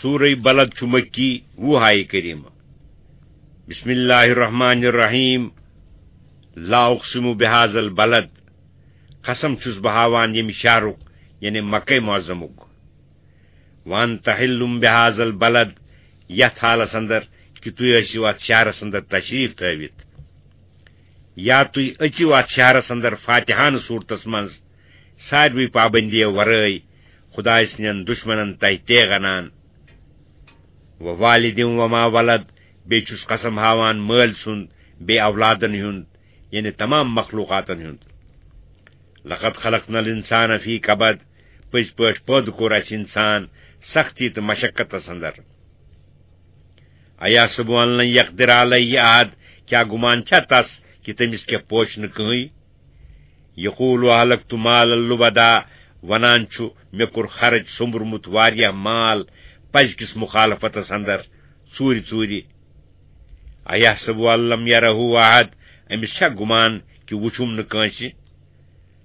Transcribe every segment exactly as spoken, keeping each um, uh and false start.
سورہ بلد چھُ مکی، وُہ آیہِ کریمہ۔ بسم اللہ الرحمن الرحیم۔ لا اقسم بهذا البلد، قسم چھُس بہٕ ہاوان ییٚمہِ شہرُک، یعنی مکہ معظمُک۔ وانت حل بهذا البلد، یتھ حالس اندر کہ تُہۍ ٲسِو اتھ شہرس اندر تشریف تھٲوِتھ، یا تُہۍ أژِو اتھ شہرس اندر فاتحانہٕ صورتس منز، ساروٕے پابندیو ورٲے، خدایہ سٕنٛدٮ۪ن دشمنن تہہِ تیغ انان۔ ووالد وما ولد، بیٚیہِ چھُس قسم ہاوان مٲلۍ سُنٛد، بیٚیہِ اولادن ہُنٛد، یعنی تمام مخلوقاتن ہُنٛد۔ لقد خلقنا الانسان فی کبد، پٔزۍ پٲٹھۍ پٲدٕ کوٚر اَسہِ انسان سختی تہٕ مشقتس اندر۔ ایحسب ان لن یقدر علیہ احد، کیٛاہ گمان چھا تس کہِ تٔمِس کیٛاہ پوچھ نہٕ کٕہٕنۍ؟ یقول اہلکت مالا لبدا، ونان چھُ، مےٚ کوٚر خرٕچ، سوٚمبرمُت واریاہ مال پزِ کِس مخالفتس اندر، ژوٗرِ ژوٗرِ۔ ایحسب ان لم یرہ احد، أمِس چھا گمان کہِ وُچھُم نہٕ کٲنٛسہِ؟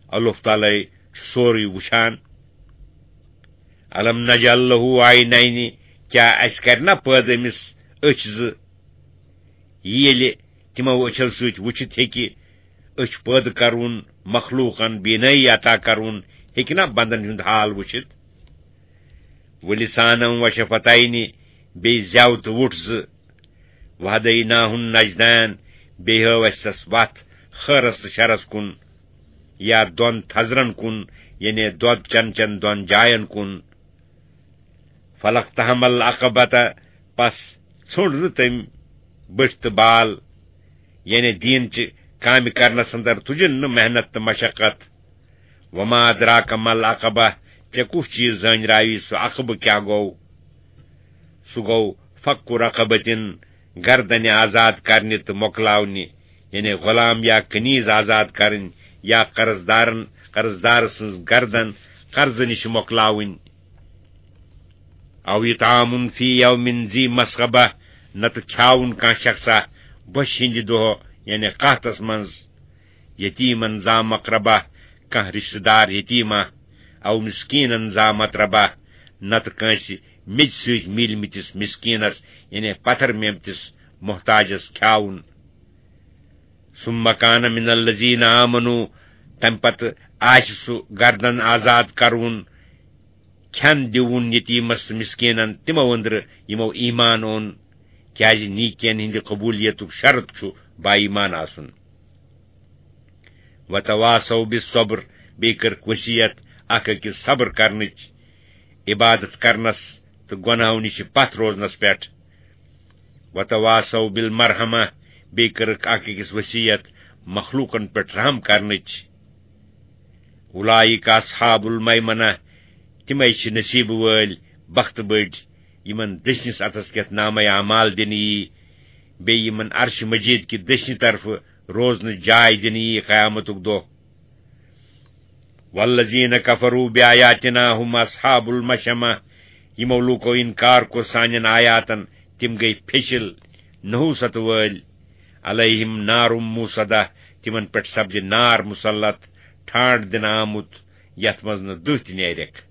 اللہ تعالیٰ چھُ سورُے وُچھان۔ الم نجعل لہ عینین، کیٛاہ اَسہِ کرِ نا پٲدٕ أمِس أچھ زٕ؟ ییٚلہِ تِمو أچھو سۭتۍ وُچھِتھ ہیٚکہِ أچھ پٲدٕ کرُن، مخلوقن بینٲیی عطا کرُن، ہیٚکہِ نا بندن ہُنٛد حال وُچھِتھ؟ ولسانا وشفتین، بیٚیہِ زٮ۪و تہٕ وُٹھ زٕ۔ وہدیناہ النجدین، بیٚیہِ ہٲو اَسہِ تس وتھ خٲرس تہٕ شرس کُن، یا دۄن تھزرن کُن، یعنی دۄد چن چن دۄن جاین کُن۔ فلقتحم العقبۃ، پس ژھونڈ نہٕ تٔمۍ بٔٹھۍ تہٕ بال، یعنی دیٖن چہِ کامہِ کرنس اندر تُجن نہٕ محنت تہٕ مشقت۔ وما ادراک ما العقبہ، ژےٚ کُس چیٖز زٲنۍ راوی سُہ عقبہٕ کیٛاہ گوٚو؟ سُہ گوٚو فک رقبتن، گردنہِ آزاد کرنہِ تہٕ مۄکلاونہِ، یعنی غلام یا کنیز آزاد کرٕنۍ، یا قرض دارن، قرض دار سٕنٛز گردن قرضہٕ نِش مۄکلاوٕنۍ۔ او اطعام فی یوم ذی مسغبہ، نتہٕ کھیاوُن کانٛہہ شخصا بۄچھِ ہٕنٛدِ دۄہ، یعنی قحطس منٛز، یتیمن ذا مقربہ، کانٛہہ رشتہٕ دار یتیما، او مسکینن ذا متربہ، نتہٕ کٲنٛسہِ میٚژِ سۭتۍ میٖلمٕتِس مسکینس، یعنی پتھر میمتِس محتاجس کھیاوُن۔ ثم کان من الذین آمنوا، تمہِ پتہٕ آسہِ سُہ گردن آزاد کرُن، کھٮ۪ن دیُن یتیمس تہٕ مسکینن تِمو أنٛدرٕ یِمو ایمان اوٚن، کیازِ نیکین ہٕنٛدِ قبولیتُک شرط چھُ با ایمان آسُن۔ وتواصوا بالصبر، بیٚیہِ کٔرٕکھ وصیت اکھ أکِس صبر کرنٕچ، عبادت کرنس تہٕ گۄناہو نِش پتھ روزنس پٮ۪ٹھ۔ وتواصوا بالمرحمہ، بیٚیہِ کٔرٕکھ اکھ أکِس وصیت مخلوقن پٮ۪ٹھ رحم کرنٕچ۔ اولئک اصحاب المیمنہ، تِمے چھِ نصیٖبہٕ وٲلۍ، بخت بٔڑۍ، یِمن دٔچھنِس اتھس کٮ۪تھ نامہ اعمال دِنہٕ یی، بیٚیہِ یِمن عرش مجید کہِ دٔچھنہِ طرفہٕ روزنٕچ جاے دِنہٕ یی قیامتُک دۄہ۔ والذین کفروا بآیاتنا هم اصحاب المشأمہ، یِمو لوٗکو انکار کوٚر سانٮ۪ن آیاتن، تِم گٔے پھیٚچِل، نحوست وٲلۍ۔ علیہم نار موصدہ، تِمن پٮ۪ٹھ سپدِ نار مسلط، ٹھانڈ دِنہٕ آمُت، یتھ منٛز نہٕ دٕہ تہِ نیرٮ۪کھ۔